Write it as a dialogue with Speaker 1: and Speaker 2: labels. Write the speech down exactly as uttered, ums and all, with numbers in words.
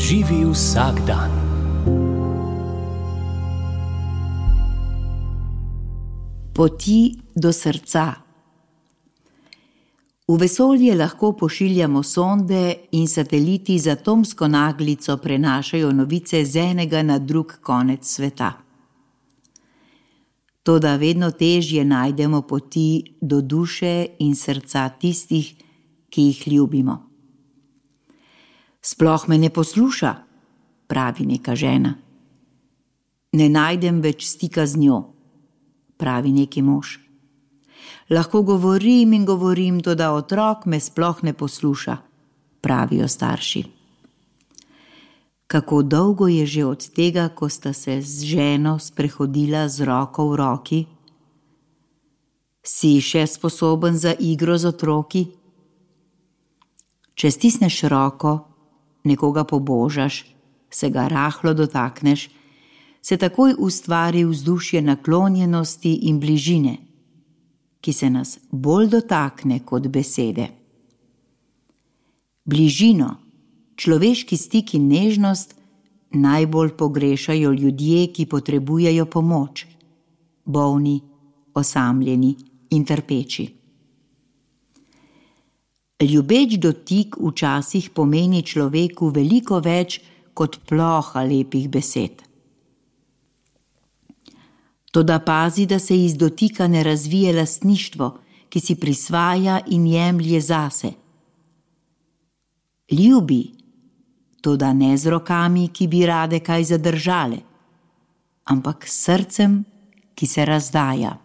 Speaker 1: Živi vsak dan.
Speaker 2: Poti do srca. V vesolje lahko pošiljamo sonde in sateliti z atomsko naglico prenašajo novice z enega na drug konec sveta. Toda vedno težje najdemo poti do duše in srca tistih, ki jih ljubimo. Sploh me ne posluša, pravi neka žena. Ne najdem več stika z njo, pravi neki mož. Lahko govorim in govorim, toda otrok me sploh ne posluša, pravijo starši. Kako dolgo je že od tega, ko sta se z ženo sprehodila z roko v roki? Si še sposoben za igro z otroki? Če stisneš roko, nekoga pobožaš, se ga rahlo dotakneš, se takoj ustvari vzdušje naklonjenosti in bližine, ki se nas bolj dotakne kot besede. Bližino, človeški stik in nežnost najbolj pogrešajo ljudje, ki potrebujejo pomoč, bolni, osamljeni in trpeči. Ljubeč dotik včasih pomeni človeku veliko več kot ploha lepih besed. Toda pazi, da se iz dotika ne razvije lastništvo, ki si prisvaja in jemlje zase. Ljubi, toda ne z rokami, ki bi rade kaj zadržale, ampak s srcem, ki se razdaja.